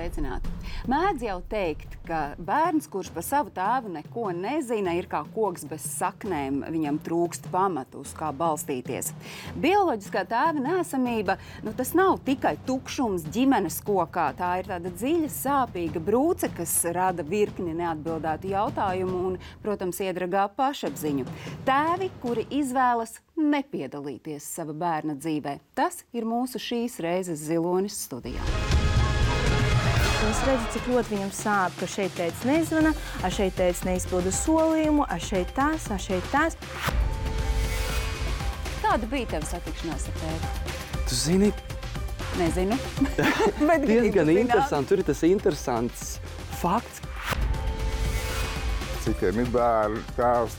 Sveicināti! Mēdz jau teikt, ka bērns, kurš par savu tēvu neko nezina, ir kā koks bez saknēm, viņam trūkst pamatu, uz kā balstīties. Bioloģiskā tēva neesamība, tas nav tikai tukšums ģimenes kokā, tā ir tāda dziļa, sāpīga brūce, kas rada virkni neatbildētu jautājumu un, protams, iedragā pašapziņu. Tēvi, kuri izvēlas nepiedalīties sava bērna dzīvē. Tas ir mūsu šīs reizes Zilonis studijā. Es redzu, cik ļoti viņam sāp, ka šeit tētis nezvana, šeit tētis neizpilda solījumu, šeit tas. Kāda bija tava satikšanās ar tēvi? Tu zini? Nezinu. Diezgan interesanti. Tur ir tas interesants fakts. Citiem ir bērni, tēvs,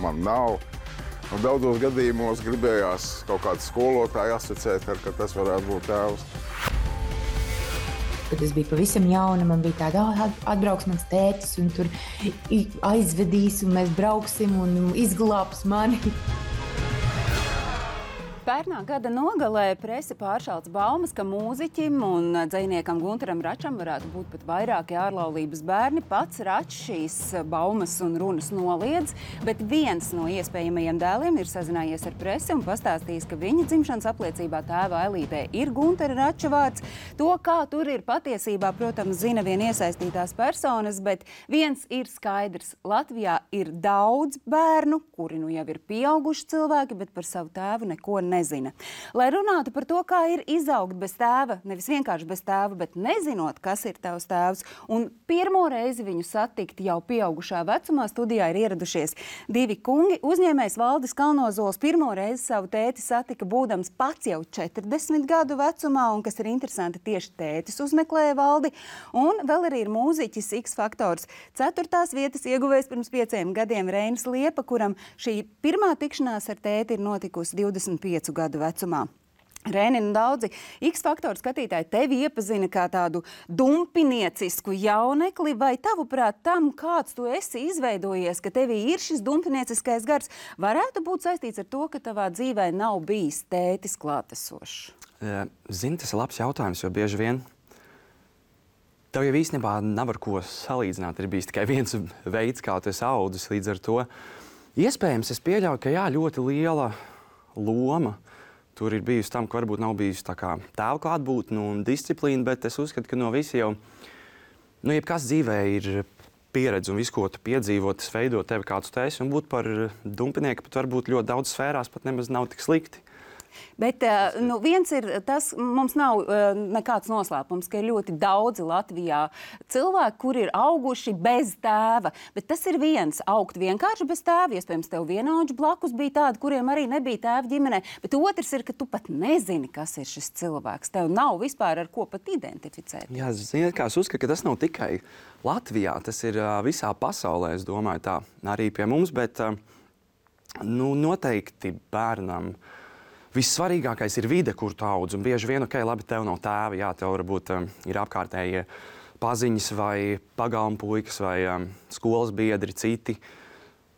man nav. Un daudzos gadījumos gribējās kaut kādu skolotāju asociēt, ka tas varētu būt tēvs. Kad es biju pavisam jauna, man bija tāda, atbrauks mans tētis un tur aizvedīs un mēs brauksim un izglābs mani. Pērnā gada nogalē prese pāršāls baumas, ka mūziķim un dzejniekam Guntaram Račam varētu būt pat vairāki ārlaulības bērni. Pats Račs šīs baumas un runas noliedz, bet viens no iespējamajiem dēliem ir sazinājies ar presi un pastāstījis, ka viņa dzimšanas apliecībā tēva ailītē ir Guntara Rača vārds. To, kā tur ir patiesībā, protams, zina vien iesaistītās personas, bet viens ir skaidrs. Latvijā ir daudz bērnu, kuri nu jau ir pieauguši cilvēki, bet par savu tēvu neko nezina. Lai runātu par to, kā ir izaugt bez tēva, nevis vienkārši bez tēva, bet nezinot, kas ir tavs tēvs, un pirmo reizi viņu satikt jau pieaugušā vecumā, studijā ir ieradušies divi kungi. Uzņēmējs Valdis Kalnozols pirmo reizi savu tēti satika būdams pats jau 40 gadu vecumā, un kas ir interesanti, tieši tētis uzmeklēja Valdi, un vēl arī ir mūziķis X Faktors 4. vietas ieguvējs pirms 5 gadiem Reinis Liepa, kuram šī pirmā tikšanās ar tēti ir notikusi 25 gadu vecumā. Reini, daudzi X-faktoru skatītāji tevi iepazina kā tādu dumpiniecisku jaunekli, vai tavuprāt tam, kāds tu esi izveidojies, ka tevī ir šis dumpinieciskais gars, varētu būt saistīts ar to, ka tavā dzīvē nav bijis tētis klātesošs? Zini, tas ir labs jautājums, jo bieži vien tev jau īstenībā nav ar ko salīdzināt. Ir bijis tikai viens veids, kā tu esi audzis, līdz ar to. Iespējams, es pieļauju, ka ļoti liela loma tur ir bijusi tam, ka varbūt nav bijusi tā kā tēva klātbūtne un disciplīna, bet es uzskatu, ka no visi jau, jebkas dzīvē ir pieredze un visu, ko tu piedzīvo, tas veido tevi kāds tu esi, un būt par dumpinieku pat varbūt ļoti daudz sfērās pat nemaz nav tik slikti. Bet viens ir tas, mums nav nekāds noslēpums, ka ir ļoti daudzi Latvijā cilvēki, kuri ir auguši bez tēva. Bet tas ir viens, augt vienkārši bez tēva. Iespējams, tev vienaudži blakus bija tādi, kuriem arī nebija tēva ģimenē. Bet otrs ir, ka tu pat nezini, kas ir šis cilvēks. Tev nav vispār ar ko pat identificēt. Jā, ziniet, kā es uzskatu, ka tas nav tikai Latvijā. Tas ir visā pasaulē, es domāju tā, arī pie mums. Bet noteikti bērnam vissvarīgākais ir vide, kur tu audz. Un bieži vien, labi, tev nav tēva, jā, tev varbūt ir apkārtējie paziņas vai pagalma puikas vai skolas biedri, citi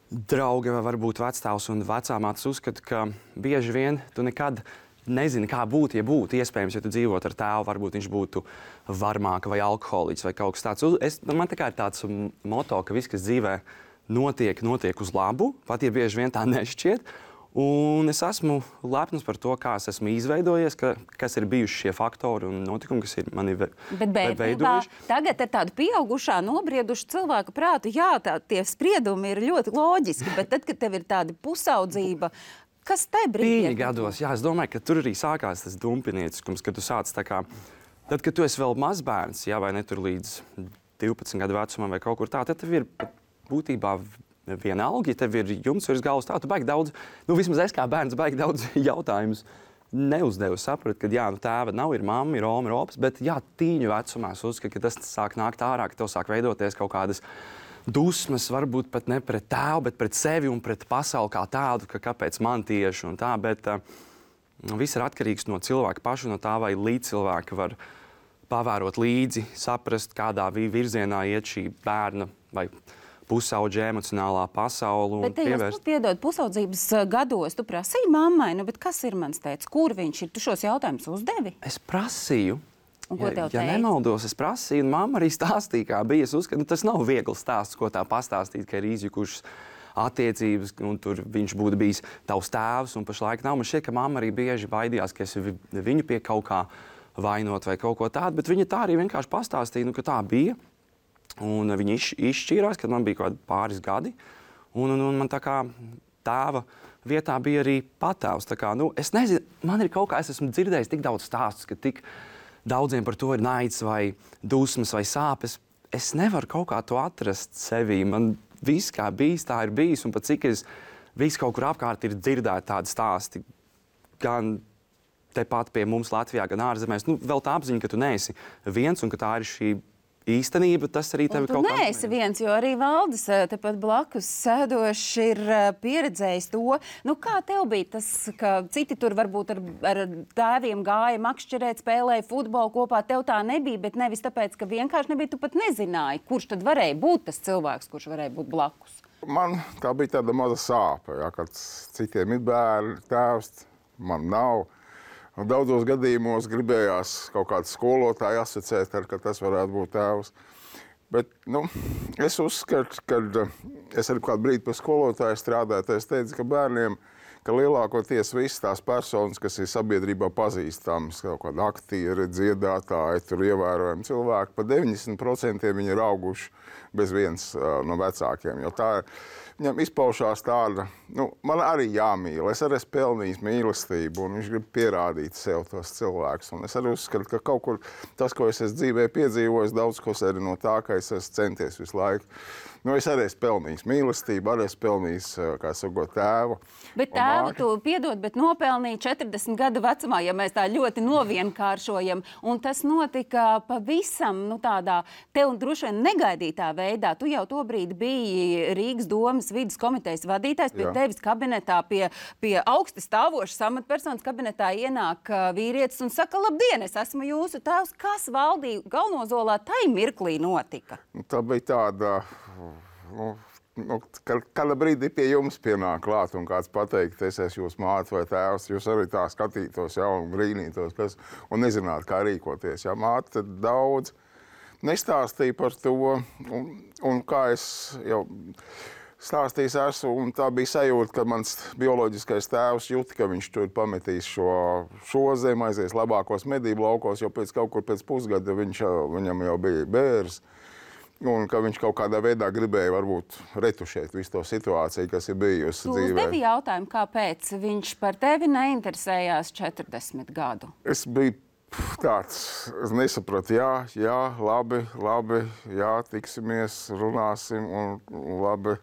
draugi vai varbūt vecstāvs un vecāmātes uzskata, ka bieži vien tu nekad nezini, kā būtu, ja būtu iespējams, ja tu dzīvot ar tēvu, varbūt viņš būtu varmāka vai alkoholiķis vai kaut kas tāds. Man tā kā ir tāds moto, ka viss, kas dzīvē notiek uz labu, pat ja bieži vien tā nešķiet. Un es esmu lepns par to, kā es esmu izveidojies, kas ir bijuši šie faktori un notikumi, kas ir mani veidojuši. Tagad ar tādu pieaugušā, nobriedušu cilvēku prātu, jā, tie spriedumi ir ļoti loģiski, bet tad, kad tev ir tāda pusaudzība, kas te brīdī? Gados, jā, es domāju, ka tur arī sākās tas dumpinieciskums, kad tu sāc tā kā, tad, kad tu esi vēl mazbērns, jā, vai ne tur līdz 12 gadu vecumam vai kaut kur tā, tad tev ir būtībā vienalga, ja tev ir jumts virs galvas, tā tu baigi daudz, vismaz es kā bērns baigi daudz jautājumus neuzdevu, sapratu, ka jā, tēva nav, ir mamma, ir oma, ir opas, bet jā, tīņu vecumā es uzskatu, ka tas sāk nākt ārā, ka tev sāk veidoties kaut kādas dusmas, varbūt pat ne pret tēvu, bet pret sevi un pret pasauli kā tādu, ka kāpēc man tieši un tā, bet viss ir atkarīgs no cilvēka paša, no tā, vai līdzcilvēki var pavērot līdzi, saprast, kādā virzienā iet šī bērna vai pusaudža emocionālā pasaule. Bet te jūs piedod pusaudzības gados, tu prasīji mammai, bet kas ir mans tētis, kur viņš ir? Tu šos jautājumus uzdevi? Es prasīju, Un ko tev ja nemaldos, es prasīju, un mamma arī stāstīja, kā bija. Es uzskatu, tas nav viegls stāsts, ko tā pastāstīt, ka ir izjukušas attiecības, un tur viņš būtu bijis tavs tēvs, un pašlaik nav. Man šķiet, ka mamma arī bieži baidījās, ka es viņu pie kaut kā vainot vai kaut ko tādu, bet viņa tā arī vienkārši pastāstīja, ka tā bija. Un viņi izšķīrās, kad man bija kaut kādi pāris gadi, un man tā kā tēva vietā bija arī patēvs. Tā kā, es nezinu, man ir kaut kā, es esmu dzirdējis tik daudz stāstus, ka tik daudziem par to ir naids vai dusmas vai sāpes. Es nevaru kaut kā to atrast sevī. Man viss, kā bijis, tā ir bijis, un pat cik es visu kaut kur apkārt ir dzirdēti tādi stāsti, gan tepat pie mums Latvijā, gan ārzemēs. Vēl tā apziņa, ka tu neesi viens un ka tā ir šī īstenība, tas arī tevi kaut kā... Tu neesi viens, jo arī Valdis tepat blakus sēdošs ir pieredzējis to. Kā tev bija tas, ka citi tur varbūt ar tēviem gāja makšķerēt, spēlēja futbolu kopā, tev tā nebija, bet nevis tāpēc, ka vienkārši nebija, tu pat nezināji, kurš tad varēja būt tas cilvēks, kurš varēja būt blakus. Man tā bija tāda maza sāpe, kad citiem ir bērni, tēvs, man nav. Daudzos gadījumos gribējās kaut kādu skolotāju asociēt, ka tas varētu būt tēvs. Bet es uzskatu, ka es arī kādu brīdi pie skolotāja strādāju, es teicu, ka bērniem, ka lielākoties visas tās personas, kas ir sabiedrībā pazīstamas, kaut kādi aktieri, dziedātāji, tur ievērojami cilvēki, pa 90% viņi ir auguši bez viens no vecākiem, jo tā viņam izpaušās tāda, man arī jāmīl, es arī esmu pelnījis mīlestību, un viņš grib pierādīt sev tos cilvēkus. Un es arī uzskatu, ka kaut kur tas, ko es esmu dzīvē piedzīvojis, daudz ko arī no tā, ka es esmu centies visu laiku. Es arī esmu pelnījis mīlestību, arī esmu pelnījis, kā sakot, tēvu. Bet tēvu tu piedod, bet nopelnīji 40 gadu vecumā, ja mēs tā ļoti novienkāršojam. Un tas notika pavisam, tādā tev droši vien negaidītā veidā. Tu jau to brīdi biji Rīgas domas vides komitejas vadītājs, pie tevis kabinetā, pie augsti stāvošas amatpersonas kabinetā ienāk vīrietis un saka, labdien, es esmu jūsu tēvs. Kas Valdī Galnozolā tai mirklī notika? Tā bija tāda... Kāda brīdī pie jums pienāk klāt un kāds pateikt, es esmu jūs māte vai tēvs, jūs arī tā skatītos, un brīnītos, un nezinātu, kā rīkoties. Māte daudz nestāstīja par to, un kā es jau stāstījis esmu, un tā bija sajūta, ka mans bioloģiskais tēvs jūta, ka viņš tur pametīs šo zemi, aizies labākos medību laukos, jo pēc pusgada viņam jau bija bērs. Un ka viņš kaut kādā veidā gribēja varbūt retušēt visu to situāciju, kas ir bijusi dzīvē. Tu uzdevi jautājumu, kāpēc viņš par tevi neinteresējās 40 gadu? Es biju tāds, es nesapratu, jā, labi, jā, tiksimies, runāsim un labi.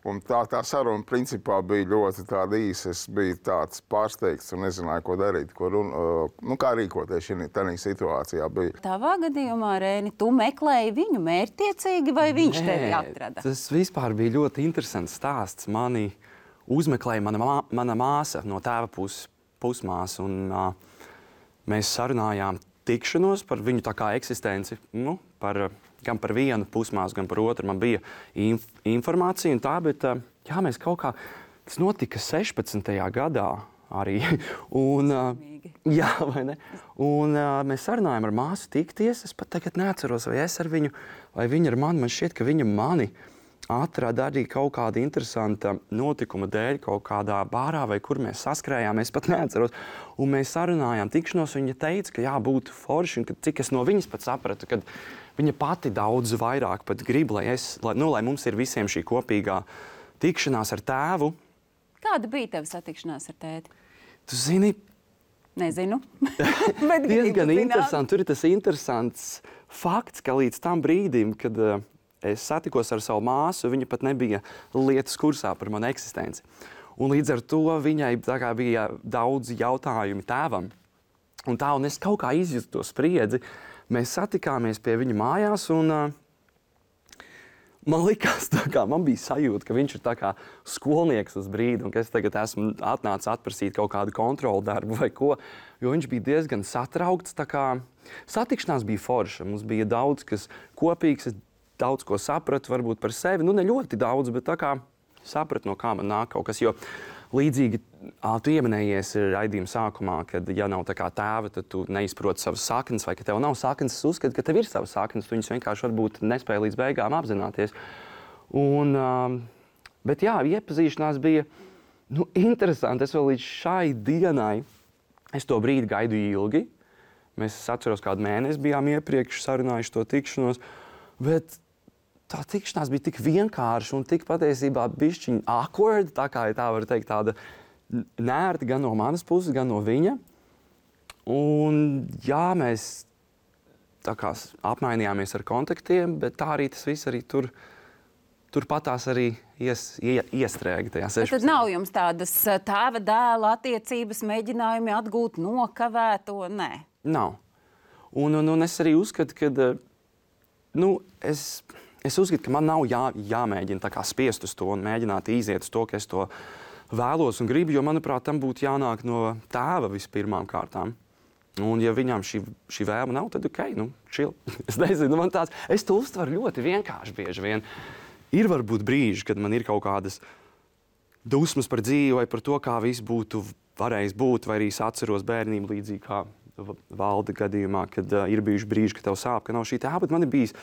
Un tā saruna principā bija ļoti tāda īsa. Es biju tāds pārsteigts un nezināju, ko darīt, kā rīkoties tādā situācijā. Tavā gadījumā, Rēni, tu meklēji viņu mērķtiecīgi vai viņš tevi atrada? Tas vispār bija ļoti interesants stāsts. Mani uzmeklēja mana māsa no tēva pusmāsa, un mēs sarunājām tikšanos par viņu tā kā eksistenci, gan par vienu pusmāsu, gan par otru. Man bija informācija un tā, bet mēs kaut kā, tas notika 16. gadā arī. Un, vai ne? Un mēs sarunājām ar māsu tikties. Es pat tagad neatceros, vai es ar viņu, vai viņa ar mani. Man šķiet, ka viņa mani atrada arī kaut kāda interesanta notikuma dēļ, kaut kādā bārā, vai kur mēs saskrējām, es pat neatceros. Un mēs sarunājām tikšanos, un viņa teica, ka jābūt forši, un cik es no viņas pat sapratu, kad viņa pati daudz vairāk pat grib, lai mums ir visiem šī kopīgā tikšanās ar tēvu. Kāda bija tava satikšanās ar tēti? Tu zini... Nezinu. Diezgan interesanti. Tur ir tas interesants fakts, ka līdz tam brīdim, kad es satikos ar savu māsu, viņa pat nebija lietas kursā par manu eksistenci. Un līdz ar to viņai bija daudz jautājumu tēvam. Un es kaut kā izjūtu to spriedzi. Mēs satikāmies pie viņa mājās, un man likās, man bija sajūta, ka viņš ir tā kā skolnieks uz brīdi, un ka es tagad esmu atnācis atprasīt kaut kādu kontrolu darbu vai ko, jo viņš bija diezgan satraukts. Satikšanās bija forša, mums bija daudz kas kopīgs, es daudz ko sapratu varbūt par sevi, ne ļoti daudz, bet sapratu, no kā man nāk kaut kas, jo līdzīgi tu ieminējies raidījuma sākumā, kad, ja nav tā kā tēva, tad tu neizproti savas saknes, vai ka tev nav saknes. Es uzskatu, ka tev ir savas saknes, tu viņas vienkārši varbūt nespēji līdz beigām apzināties. Bet jā, iepazīšanās bija interesanti. Es vēl līdz šai dienai, es to brīdi gaidu ilgi. Mēs atceros, kādu mēnesi bijām iepriekš sarunājuši to tikšanos, bet tā tikšanās bija tik vienkārša un tik patiesībā bišķiņ awkward, tā kā tā var teikt, tāda nērti gan no manas puses, gan no viņa. Un jā, mēs tā kā apmainījāmies ar kontaktiem, bet tā arī tas viss arī turpatās arī iestrēga tajā 16. Tad nav jums tādas tēva dēla attiecības, mēģinājumi atgūt nokavēto? Nē. Nav. Un es arī uzskatu, ka es uzskatu, ka man nav jāmēģina tā kā spiest uz to un mēģināt iziet uz to, ka es to vēlos un gribu, jo, manuprāt, tam būtu jānāk no tēva vispirmām kārtām. Un, ja viņām šī vēlme nav, tad chill. Es nezinu, es to uztveru ļoti vienkārši bieži vien. Ir varbūt brīži, kad man ir kaut kādas dusmas par dzīvi vai par to, kā viss būtu varējis būt, vai arī es atceros bērnību līdzīgi kā Valda gadījumā, kad ir bijuši brīži, ka tev sāp, ka nav šī tēva, bet man ir bijis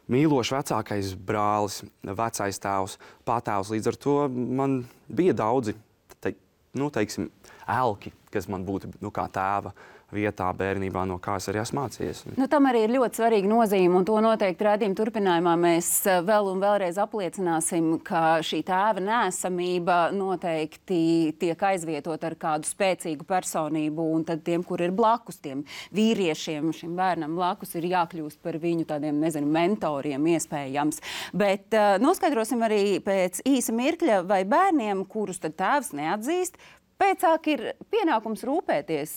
mīlošs vecākais brālis, vecais tēvs, patēvs. Līdz ar to man bija daudzi, teiksim, elki, kas man būtu kā tēva vietā bērnībā, no kā es arī esmu mācījies. Tam arī ir ļoti svarīga nozīme, un to noteikti raidījuma turpinājumā mēs vēl un vēlreiz apliecināsim, ka šī tēva neesamība noteikti tiek aizvietot ar kādu spēcīgu personību, un tad tiem, kur ir blakus, tiem vīriešiem, šim bērnam blakus, ir jākļūst par viņu tādiem, mentoriem iespējams. Bet noskaidrosim arī pēc īsa mirkļa, vai bērniem, kurus tad tēvs neatzīst, pēcāk ir pienākums rūpēties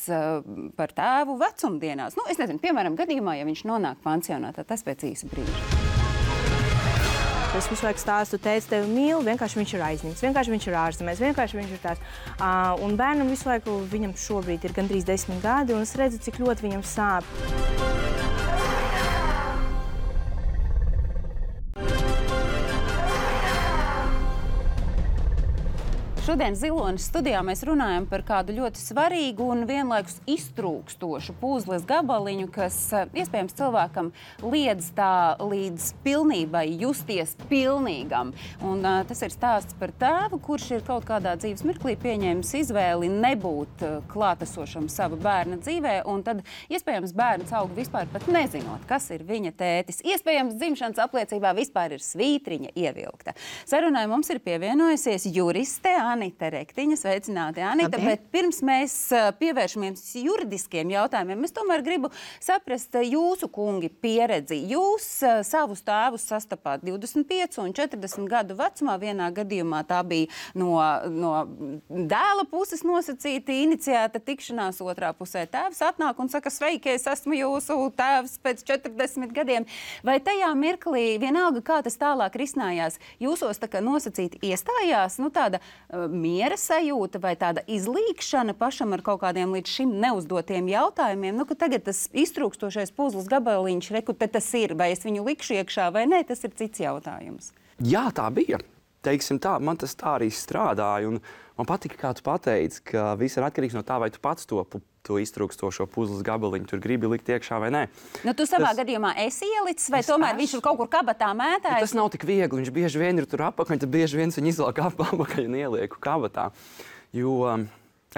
par tēvu vecumdienās. Es nezinu, piemēram, gadījumā, ja viņš nonāk pansionātā, tas pēc īsa brīža. Es visu laiku stāstu, tēvs tevi mīl, vienkārši viņš ir aizņemts, vienkārši viņš ir ārzemēs, vienkārši viņš ir tāds. Un bērnam visu laiku, viņam šobrīd ir gandrīz 10 gadi, un es redzu, cik ļoti viņam sāp. Šodien Zilonis studijā mēs runājam par kādu ļoti svarīgu un vienlaikus iztrūkstošu puzles gabaliņu, kas iespējams cilvēkam liedz tā līdz pilnībai justies pilnīgam. Un tas ir stāsts par tēvu, kurš ir kaut kādā dzīves mirklī pieņēmis izvēli nebūt klātesošam sava bērna dzīvē, un tad iespējams bērns aug vispār pat nezinot, kas ir viņa tētis. Iespējams dzimšanas apliecībā vispār ir svītriņa ievilkta. Sarunai mums ir pievienojusies juriste Anita Rektiņa. Sveicināti, Anita. Bet pirms mēs pievēršamies juridiskiem jautājumiem, es tomēr gribu saprast jūsu, kungi, pieredzi. Jūs savus tēvus sastapāt 25 un 40 gadu vecumā. Vienā gadījumā tā bija no dēla puses nosacīta, iniciēta tikšanās, otrā pusē tēvs atnāk un saka, sveiki, es esmu jūsu tēvs pēc 40 gadiem. Vai tajā mirklī, vienalga, kā tas tālāk risinājās, jūsos tā kā nosacīti iestājās, tāda miera sajūta vai tāda izlīkšana pašam ar kaut kādiem līdz šim neuzdotiem jautājumiem, ka tagad tas iztrūkstošais puzles gabaliņš, te tas ir, vai es viņu likšu iekšā vai nē, tas ir cits jautājums. Jā, tā bija. Teiksim tā, man tas tā arī strādāja, un man patika, kā tu pateici, ka viss ir atkarīgs no tā, vai tu pats to iztrūkstošo puzles gabaliņu tur gribi likt iekšā vai nē. Tu savā gadījumā esi ielicis, vai tomēr viņš ir kaut kur kabatā mētājis? Tas nav tik viegli, viņš bieži vien ir tur apakaļ, tad bieži vien viņu izvelk apakaļ un ielieku kabatā. Jo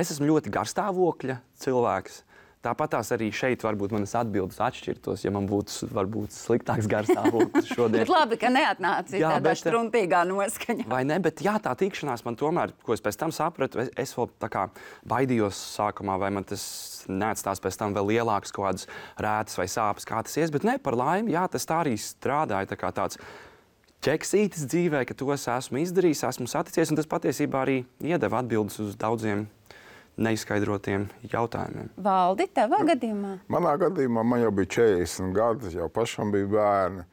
es esmu ļoti garstāvokļa cilvēks. Tāpatās arī šeit varbūt manas atbildes atšķirtos, ja man būtu varbūt sliktāks garstāvoklis šodien. Bet labi, ka neatnāci tādā struntīgā noskaņā. Vai ne, bet jā, tā tikšanās man tomēr, ko es pēc tam sapratu, es vēl tā kā baidījos sākumā, vai man tas neatstās pēc tam vēl lielāks kaut kādas rētas vai sāpes, kā tas ies, bet ne, par laimi, jā, tas tā arī strādāja, tā kā tāds ķeksītis dzīvē, ka to es esmu izdarījis, esmu saticies, un tas patiesībā arī iedeva atbildes uz daudziem neizskaidrotiem jautājumiem. Valdi, tavā gadījumā? Manā gadījumā man jau bija 40 gadi, jau pašam bija bērni.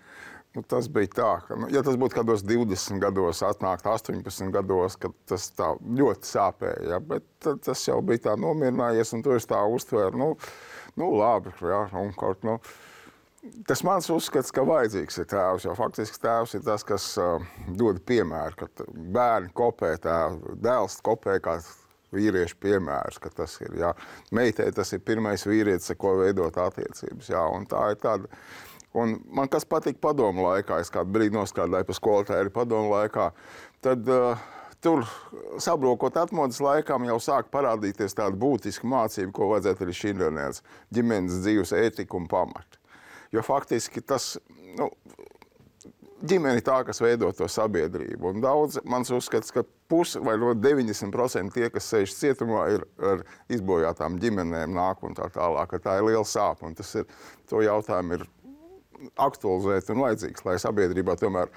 Tas bija tā, ka, ja tas būtu kādos 20 gados, atnākt 18 gados, kad tas tā ļoti sāpēja, ja? Bet tas jau bija tā nomierinājies, un to es tā uztvēru, labi, jā, un kaut, Tas mans uzskats, ka vajadzīgs ir tēvs, jo faktiski tēvs ir tas, kas dod piemēru, ka bērni kopē tēvu, dēls kopē kā vīriešu piemērs, ka tas ir, jā. Meitei tas ir pirmais vīrietis, ar ko veidot attiecības, jā, un tā ir tāda. Un man kas patīk padomu laikā, es kādu brīdi nostrādāju pa skolotāju padomu laikā, tad tur sabrokot atmodas laikām jau sāk parādīties tāda būtiska mācība, ko vajadzētu arī šindienas ģimenes dzīves ētika un pamati. Jo faktiski tas, ģimene tā, kas veido to sabiedrību. Un daudz, mans uzskats, ka pusi vai 90% tie, kas sēž cietumā, ir ar izbojātām ģimenēm nāk un tā tālāk, ka tā ir liela sāpa. Un tas ir, to jautājumu ir aktualizēt un vajadzīgs, lai sabiedrībā tomēr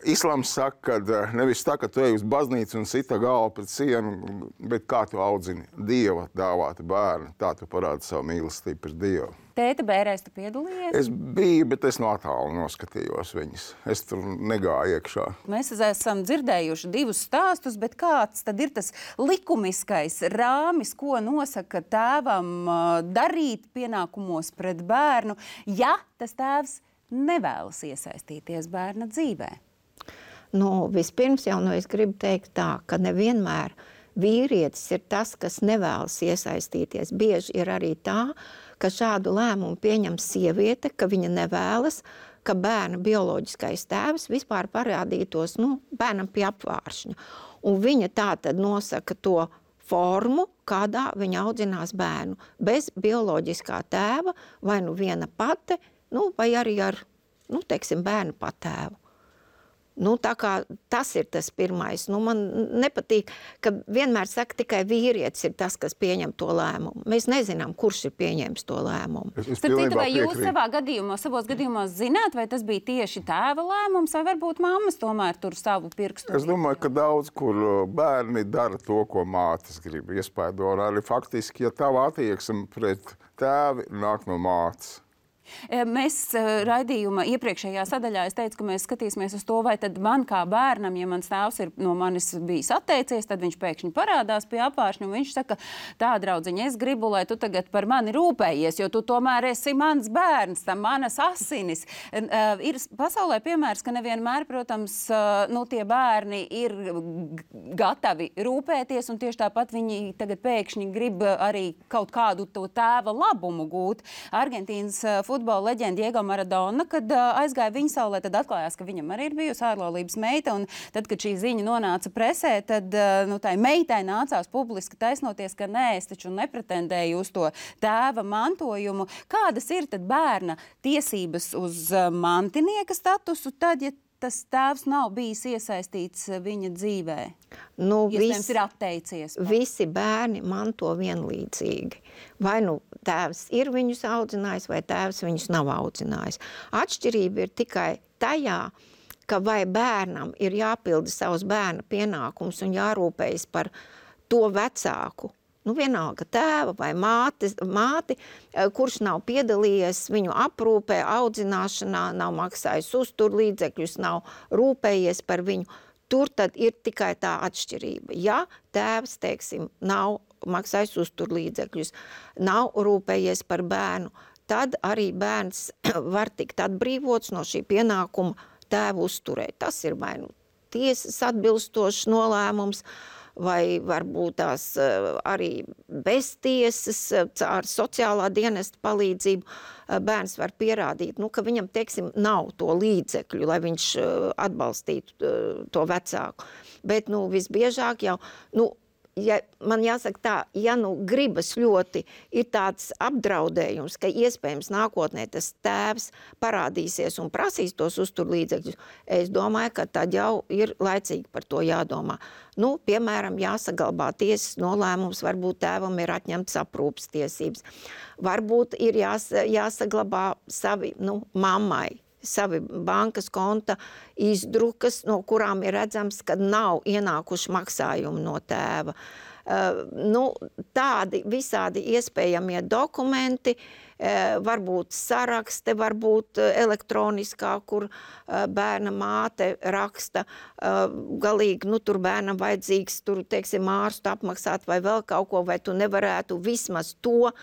Islams saka, ka nevis tā, ka tu ej uz baznīcu un sita galvu pret sienu, bet kā tu audzini Dieva dāvātu bērnu, tā tu parādi savu mīlestību pret Dievu. Tēta bērēs tu piedalījies? Es biju, bet es no attālu noskatījos viņas. Es tur negāju iekšā. Mēs esam dzirdējuši divus stāstus, bet kāds tad ir tas likumiskais rāmis, ko nosaka tēvam darīt pienākumos pret bērnu, ja tas tēvs nevēlas iesaistīties bērna dzīvē? Vispirms jau es gribu teikt tā, ka nevienmēr vīrietis ir tas, kas nevēlas iesaistīties. Bieži ir arī tā, ka šādu lēmumu pieņem sieviete, ka viņa nevēlas, ka bērna bioloģiskais tēvs vispār parādītos bērnam pie apvāršņa. Un viņa tā tad nosaka to formu, kādā viņa audzinās bērnu, bez bioloģiskā tēva, vai viena pati, vai arī ar, bērnu patēvu. Tā kā tas ir tas pirmais. Man nepatīk, ka vienmēr saka, tikai vīrietis ir tas, kas pieņem to lēmumu. Mēs nezinām, kurš ir pieņēmis to lēmumu. Starp citu, vai jūs savos gadījumos zināt, vai tas bija tieši tēva lēmums, vai varbūt mammas tomēr tur savu pirkstu? Es domāju, ka daudz, kur bērni dara to, ko mātes grib iespaido. Arī faktiski, ja tava attieksme pret tēvi nāk no mātes. Mēs raidījuma iepriekšējā sadaļā es teicu, ka mēs skatīsimies uz to, vai tad man kā bērnam, ja mans tēvs ir no manis bijis atteicies, tad viņš pēkšņi parādās pie apvāršņa un viņš saka, tā draudziņa, es gribu, lai tu tagad par mani rūpējies, jo tu tomēr esi mans bērns, manas asinis. Ir pasaulē piemērs, ka nevienmēr, protams, tie bērni ir gatavi rūpēties un tieši tāpat viņi tagad pēkšņi grib arī kaut kādu to tēva labumu gūt. Argentīnas futbola leģenda Diego Maradona, kad aizgāja viņa saulē, tad atklājās, ka viņam arī ir bijusi ārlaulības meita, un tad, kad šī ziņa nonāca presē, tad tai meitai nācās publiski taisnoties, ka nē, es taču nepretendēju uz to tēva mantojumu. Kādas ir tad bērna tiesības uz mantinieka statusu, tad, ja tas tēvs nav bijis iesaistīts viņa dzīvē? Iespējams, ir atteicies. Visi bērni manto vienlīdzīgi. Vai tēvs ir viņus audzinājis, vai tēvs viņus nav audzinājis. Atšķirība ir tikai tajā, ka vai bērnam ir jāpilda savus bērna pienākumus un jārūpējas par to vecāku. Vienalga tēva vai māti, kurš nav piedalījies viņu aprūpē, audzināšanā, nav maksājis uzturlīdzekļus, nav rūpējies par viņu. Tur tad ir tikai tā atšķirība. Ja tēvs, nav maksājis uzturlīdzekļus, nav rūpējies par bērnu, tad arī bērns var tikt atbrīvots no šī pienākuma tēvu uzturēt. Tas ir vai tiesas atbilstošs nolēmums, vai varbūt tās arī bez tiesas, ar sociālā dienesta palīdzību bērns var pierādīt, ka viņam, nav to līdzekļu, lai viņš atbalstītu to vecāku. Bet, visbiežāk jau, man jāsaka tā, ja gribas ļoti, ir tāds apdraudējums, ka iespējams nākotnē tas tēvs parādīsies un prasīs tos uzturlīdzekļus, es domāju, ka tad jau ir laicīgi par to jādomā. Piemēram, jāsaglabā tiesas nolēmums, varbūt tēvam ir atņemts aprūpes tiesības. Varbūt ir jāsaglabā savi, mammai, savi bankas konta izdrukas, no kurām ir redzams, ka nav ienākuši maksājumi no tēva. Tādi visādi iespējamie dokumenti, varbūt sarakste, varbūt elektroniskā, kur bērna māte raksta, galīgi, tur bērnam vajadzīgs, ārstu apmaksāt vai vēl kaut ko, vai tu nevarētu vismaz to,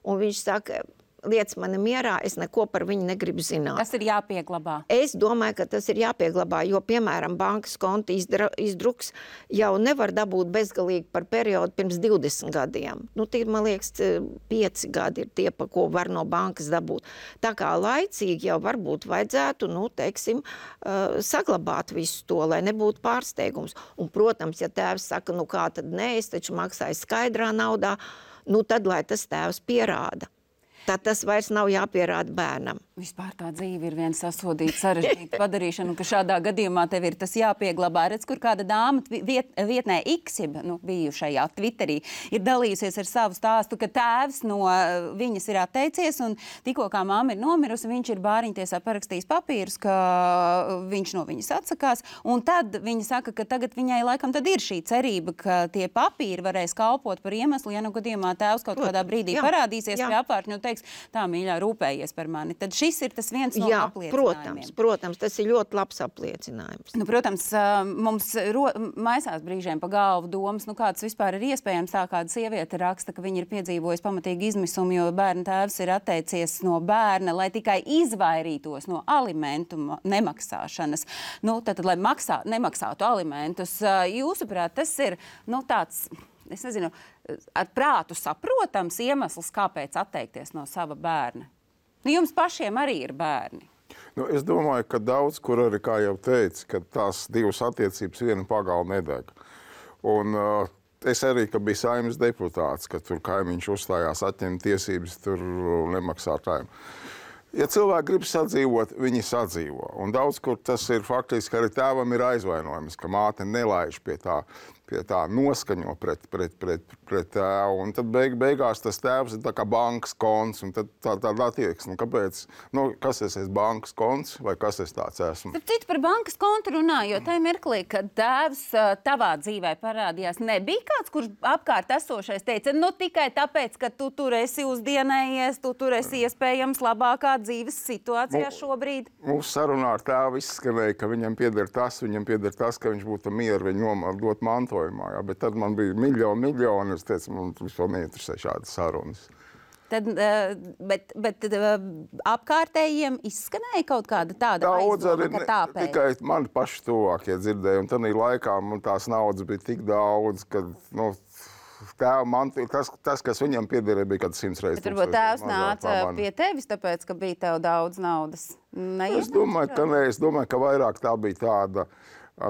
un viņš saka, liec mani mierā, es neko par viņu negribu zināt. Tas ir jāpieglabā. Es domāju, ka tas ir jāpieglabā, jo, piemēram, bankas konta izdruks jau nevar dabūt bezgalīgi par periodu pirms 20 gadiem. Nu, tie, man liekas, 5 gadi ir tie, pa ko var no bankas dabūt. Tā kā laicīgi jau varbūt vajadzētu, nu, teiksim, saglabāt visu to, lai nebūtu pārsteigums. Un, protams, ja tēvs saka, nu kā tad nē, es taču maksāju skaidrā naudā, nu tad, lai tas tēvs pierāda. Tad tas vairs nav jāpierāda bērnam. Vispār tā dzīve ir viena sasodīta, sarežģīta padarīšana, un ka šādā gadījumā tev ir tas jāpieglabā. Redz, kur kāda dāma vietnē X, jeb bijušajā Twitterī, ir dalījusies ar savu stāstu, ka tēvs no viņas ir atteicies, un tikko kā mamma ir nomirusi, viņš ir bāriņtiesā parakstījis papīrus, ka viņš no viņas atsakās, un tad viņa saka, ka tagad viņai laikam tad ir šī cerība, ka tie papīri varēs kalpot par iemeslu, ja nu gadījumā tēvs kaut kādā brīdī parādīsies pie apvārtņa un teiks, tā mīļā, rūpējies par mani. Tad šis ir tas viens no apliecinājumiem. Protams, tas ir ļoti labs apliecinājums. Nu, protams, mums maisās brīžiem pa galvu domas, nu kāds vispār ir iespējams. Tā kāda sieviete raksta, ka viņa ir piedzīvojusi pamatīgi izmisumu, jo bērna tēvs ir atteicies no bērna, lai tikai izvairītos no alimentu nemaksāšanas. Nu, tad, lai nemaksātu alimentus, jūsuprāt, tas ir, nu, tāds, es nezinu, ar prātu saprotams iemesls, kāpēc atteikties no sava bērna? Nu, jums pašiem arī ir bērni. Nu, es domāju, ka daudz, kur arī, kā jau teicu, ka tās divas attiecības viena pagala nedeg. Un es arī, ka biju Saeimas deputāts, ka tur kaimiņš uzstājās atņemt tiesības tur nemaksātājiem. Ja cilvēki grib sadzīvot, viņi sadzīvo. Un daudz, kur tas ir faktiski arī tēvam ir aizvainojums, ka māte nelaiž pie tā noskaņo pret tēvu. Un tad beigās tas tēvs ir tā kā bankas konts, un tad tāda attieksme. Kāpēc? Nu, kas es esmu bankas konts, vai kas es tāds esmu? Starp citu par bankas kontu runājot, tajā mirklī, kad tēvs tavā dzīvē parādījās, nebija kāds, kurš apkārt esošais teica, nu tikai tāpēc, ka tu tur esi uzdienējies, tu tur esi iespējams labākā dzīves situācijā šobrīd. Mūsu sarunā ar tēvu izskanēja, ka viņam pieder tas, ka viņš būtu mieru viņu dot mantojumā. Jā, bet tad man bija miljoni, es teicu, man vispār neinteresē šādas sarunas. Tad, bet apkārtējiem izskanēja kaut kāda tāda aizloma, ka tāpēc? Tikai mani paši tuvākie dzirdēja, un tādā laikā man tās naudas bija tik daudz, ka, nu, tas, kas viņam piederēja, bija kāds 100 reizes. Bet varbūt tēvs nāca pie tevis, tāpēc, ka bija tev daudz naudas? Es domāju, ka nē, es domāju, ka vairāk tā bija tāda,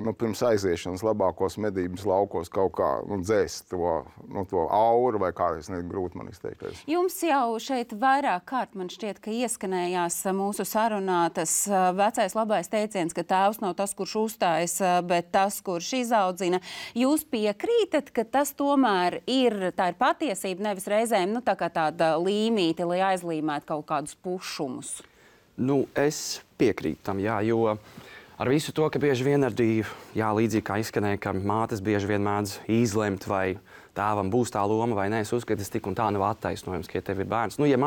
nu, pirms aiziešanas labākos medības laukos kaut kā, nu, dzēst to auru, vai kā es grūti man izteikties. Jums jau šeit vairāk kārt man šķiet, ka ieskanējās mūsu sarunā tas vecais labais teiciens, ka tēvs nav tas, kurš uzstājas, bet tas, kurš izaudzina. Jūs piekrītat, ka tas tomēr tā ir patiesība, nevis reizēm, nu, tā kā tāda līmīte, lai aizlīmētu kaut kādus pušumus? Nu, es piekrītu tam, jā, jo ar visu to, ka bieži vien arī, jā, līdzīgi kā izskanēja, ka mātes bieži vien mēdz izlemt, vai tēvam būs tā loma vai nē, es uzskatu, tas tik un tā nav attaisnojums, ka ja tev ir bērns. Nu, ja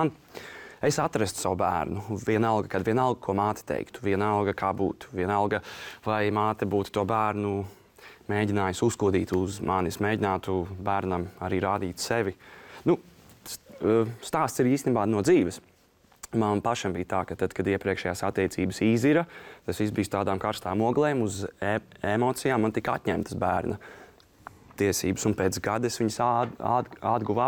es atrastu savu bērnu, vienalga, ko māte teiktu, vienalga, kā būtu, vienalga, vai māte būtu to bērnu mēģinājusi uzkodīt uz manis, mēģinātu bērnam arī rādīt sevi. Nu, stāsts ir īstenībā no dzīves. Man pašam bija tā, ka tad, kad iepriekšējās attiecības izira, tas viss bija tādām karstām oglēm, uz emocijām, man tika atņemtas bērna tiesības, un pēc gada es viņas atguvu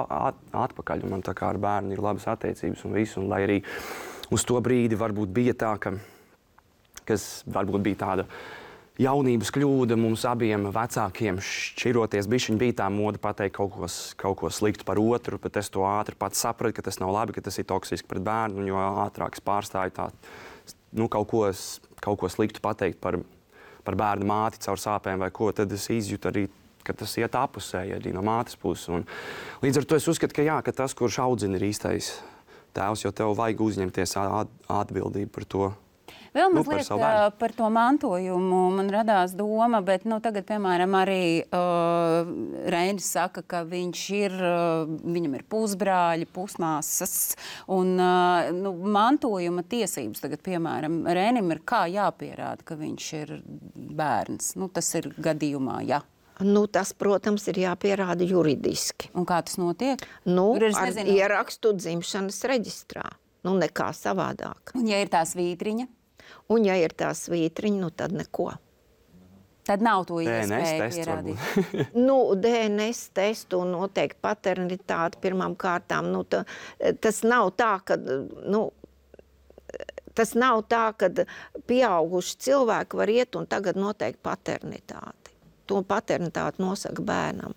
atpakaļ. Un man tā kā ar bērnu ir labas attiecības un visu, un lai arī uz to brīdi varbūt bija tā, kas varbūt bija tāda jaunības kļūda mums abiem vecākiem šķiroties. Bišķiņ bija tā moda pateikt kaut ko sliktu par otru, bet es to ātri pats sapratu, ka tas nav labi, ka tas ir toksiski pret bērnu, un jo ātrāk es pārstāju kaut ko sliktu pateikt par bērnu māti caur sāpēm vai ko, tad es izjūtu arī, ka tas iet apusēji arī no mātes puses. Un līdz ar to es uzskatu, ka jā, ka tas, kurš audzina, ir īstais tēvs, jo tev vajag uzņemties atbildību par to. Vēl mazliet par to mantojumu man radās doma, bet tagad, piemēram, arī Reinis saka, ka viņam ir pusbrāļi, pusmāsas, un mantojuma tiesības tagad, piemēram, Reinim ir kā jāpierāda, ka viņš ir bērns. Tas ir gadījumā, jā. Tas, protams, ir jāpierāda juridiski. Un kā tas notiek? Ar ierakstu dzimšanas reģistrā. nu nekā savādāk. Un ja ir tā svītriņa? Un ja ir tā svītriņa, nu tad neko. Tad nav to DNS iespēju tests pierādīt. Nu, DNS testu un noteikti paternitāti pirmām kārtām. Nu, tas nav tā, ka, pieauguši cilvēki var iet un tagad noteikt paternitāti. To paternitāti nosaka bērnam.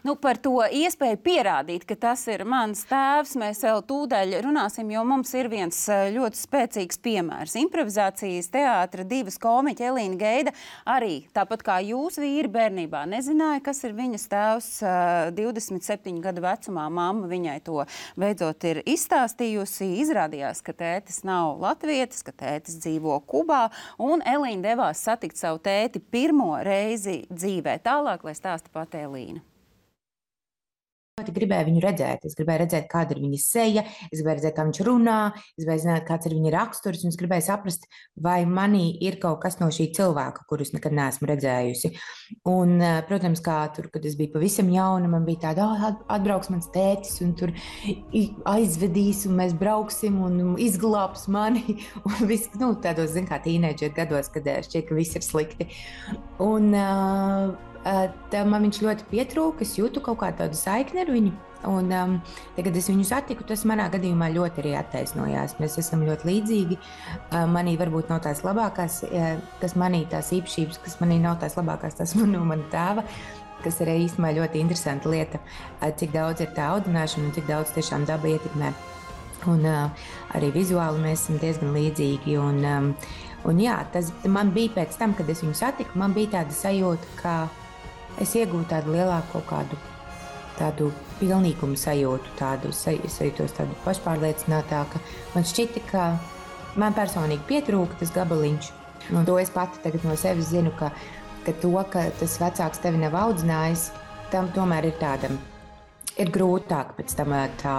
Nu, par to iespēju pierādīt, ka tas ir mans tēvs, mēs vēl tūdaļ runāsim, jo mums ir viens ļoti spēcīgs piemērs. Improvizācijas teātra divas komiķi Elīna Geida arī, tāpat kā jūs vīri bērnībā, nezināja, kas ir viņas tēvs 27 gadu vecumā. Mamma viņai to beidzot ir izstāstījusi. Izrādījās, ka tētis nav latvietis, ka tētis dzīvo Kubā, un Elīna devās satikt savu tēti pirmo reizi dzīvē. Tālāk, lai stāsta pati Elīna. Es gribēju viņu redzēt. Es gribēju redzēt, kāda ir viņa seja, es gribēju redzēt, kā viņš runā, es gribēju zināt, kāds ir viņa raksturs, un es gribēju saprast, vai manī ir kaut kas no šī cilvēka, kurus nekad neesmu redzējusi. Un, protams, kā tur, kad es biju pavisam jauna, man bija tāda, atbrauks mans tētis, un tur aizvedīs, un mēs brauksim, un izglābs mani, un viss, tādos, zin kā, tīneidžeru gados, kad šķiet, ka viss ir slikti. Un, man viņš ļoti pietrūka, es jūtu kaut kā tādu saikni ar viņu. Un, tagad es viņu satiku, tas manā gadījumā ļoti arī attaisnojās. Mēs esam ļoti līdzīgi. Manī varbūt nav tās labākās, kas manī tās īpašības, kas manī nav tās labākās, tas no mana tēva, kas arī īstenībā ļoti interesanta lieta, cik daudz ir tā audzināšana un cik daudz tiešām daba ietekmē. Un arī vizuāli mēs esam diezgan līdzīgi. Un jā, tas man bija pēc tam, kad es viņu satiku, man bija tāda sajūta, ka es iegūtu tādu lielāku kaut kādu pilnīgumu sajūtu, sajūtos tādu pašpārliecinātāku. Man šķita, ka man personīgi pietrūka tas gabaliņš. Un to es pati tagad no sevis zinu, ka tas vecāks tevi nav audzinājis, tam tomēr ir grūtāk pēc tam tā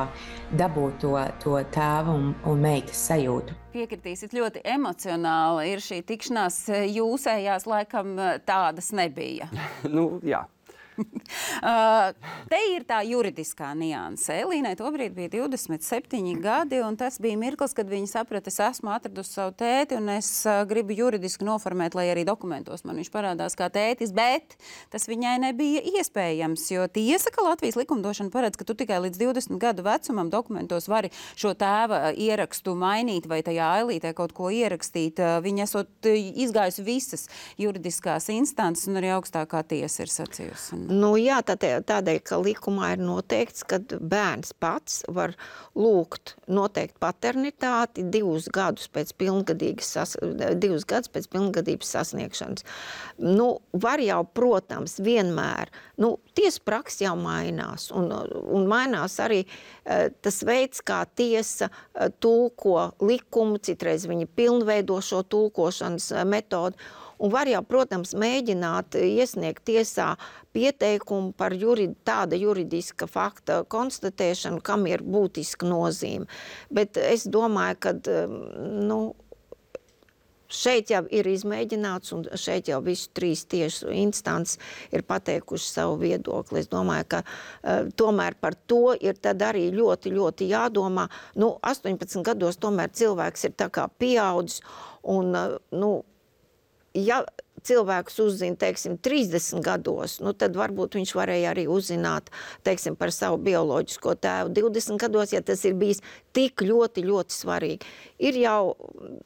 dabūt to tēva un meitas sajūtu. Piekritīsit, ļoti emocionāli ir šī tikšanās. Jūsējās laikam tādas nebija. Jā. Te ir tā juridiskā nianse. Elīnai tobrīd bija 27 gadi, un tas bija mirklis, kad viņa saprata, es esmu atradusi savu tēti, un es gribu juridiski noformēt, lai arī dokumentos man viņš parādās kā tētis, bet tas viņai nebija iespējams, jo tiesa, ka Latvijas likumdošana paredz, ka tu tikai līdz 20 gadu vecumam dokumentos vari šo tēva ierakstu mainīt vai tajā ailītē kaut ko ierakstīt. Viņa esot izgājusi visas juridiskās instances, un arī augstākā tiesa ir sacījusi. Jā, tādēļ, ka likumā ir noteikts, ka bērns pats var lūgt noteikt paternitāti 2 gadus pēc pilngadības sasniegšanas. Var jau, protams, vienmēr, tiesa praksa jau mainās, un mainās arī tas veids, kā tiesa tulko likumu, citreiz viņi pilnveido šo tulkošanas metodu. Un var jau, protams, mēģināt iesniegt tiesā pieteikumu par tāda juridiska fakta konstatēšanu, kam ir būtiska nozīme. Bet es domāju, ka šeit jau ir izmēģināts, un šeit jau visu 3 tiesu instances ir pateikuši savu viedokli. Es domāju, ka tomēr par to ir tad arī ļoti, ļoti jādomā. 18 gados tomēr cilvēks ir tā kā pieaudzis, un, ja cilvēks uzzina, 30 gados, tad varbūt viņš varēja arī uzzināt, par savu bioloģisko tēvu 20 gados, ja tas ir bijis tik ļoti, ļoti svarīgi. Ir jau,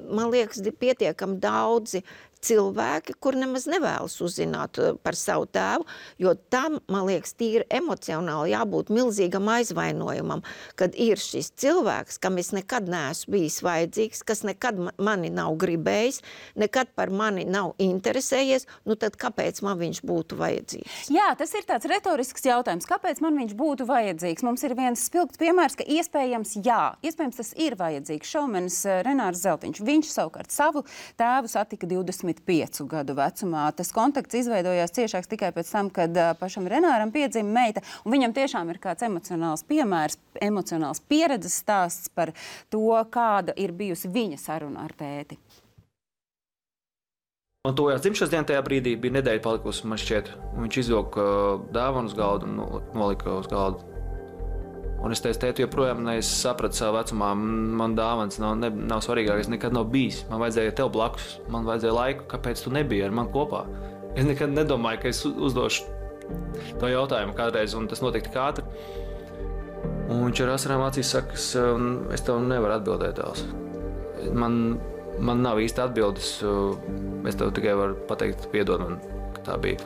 man liekas, pietiekami daudzi cilvēki, kur nemaz nevēlas uzzināt par savu tēvu, jo tam, man liekas, tīri emocionāli jābūt milzīgam aizvainojumam, kad ir šis cilvēks, kam es nekad neesmu bijis vajadzīgs, kas nekad mani nav gribējis, nekad par mani nav interesējies, tad kāpēc man viņš būtu vajadzīgs? Jā, tas ir tāds retorisks jautājums. Kāpēc man viņš būtu vajadzīgs? Mums ir viens spilgts piemērs, ka iespējams tas ir vajadzīgs. Šaumenis Renārs Zeltiņš. Viņš savukārt savu tēvu satika 25 gadu vecumā. Tas kontakts izveidojās ciešāks tikai pēc tam, kad pašam Renāram piedzima meita, un viņam tiešām ir kāds emocionāls piemērs, emocionāls pieredzes stāsts par to, kāda ir bijusi viņa saruna ar tēti. Man tojās dzimšanas diena tajā brīdī, bija nedēļa palikusi, man šķiet, un viņš izvilka dāvanu uz galdu un nolika uz galdu. Un es teicu, tēti, joprojām sapratu savu vecumā, man dāvans nav svarīgākais, nekad nav bijis. Man vajadzēja tev blakus, man vajadzēja laiku, kāpēc tu nebija ar mani kopā. Es nekad nedomāju, ka es uzdošu to jautājumu kādreiz, un tas notika tik ātri. Un viņš ar asarām acīs saka, es tev nevaru atbildēt, tēls. Man nav īsti atbildes, es tev tikai varu pateikt, piedod man, ka tā bija.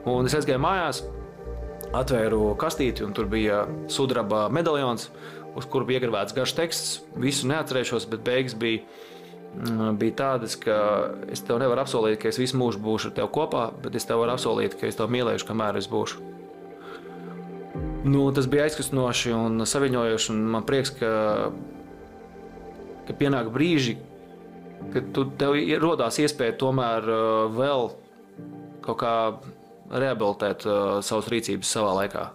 Un es aizgāju mājās, atvēru kastīti, un tur bija sudraba medaljons, uz kuru bija iegravēts garš teksts. Visu neatcerēšos, bet beigas bija tādas, ka es tev nevaru apsolīt, ka es visu mūžu būšu ar tevi kopā, bet es tev varu apsolīt, ka es tev mīlēšu, kamēr es būšu. Tas bija aizkustinoši un saviņojoši, un man prieks, ka pienāk brīži, kad tev rodās iespēja tomēr vēl kaut kā rehabilitēt savas rīcības savā laikā.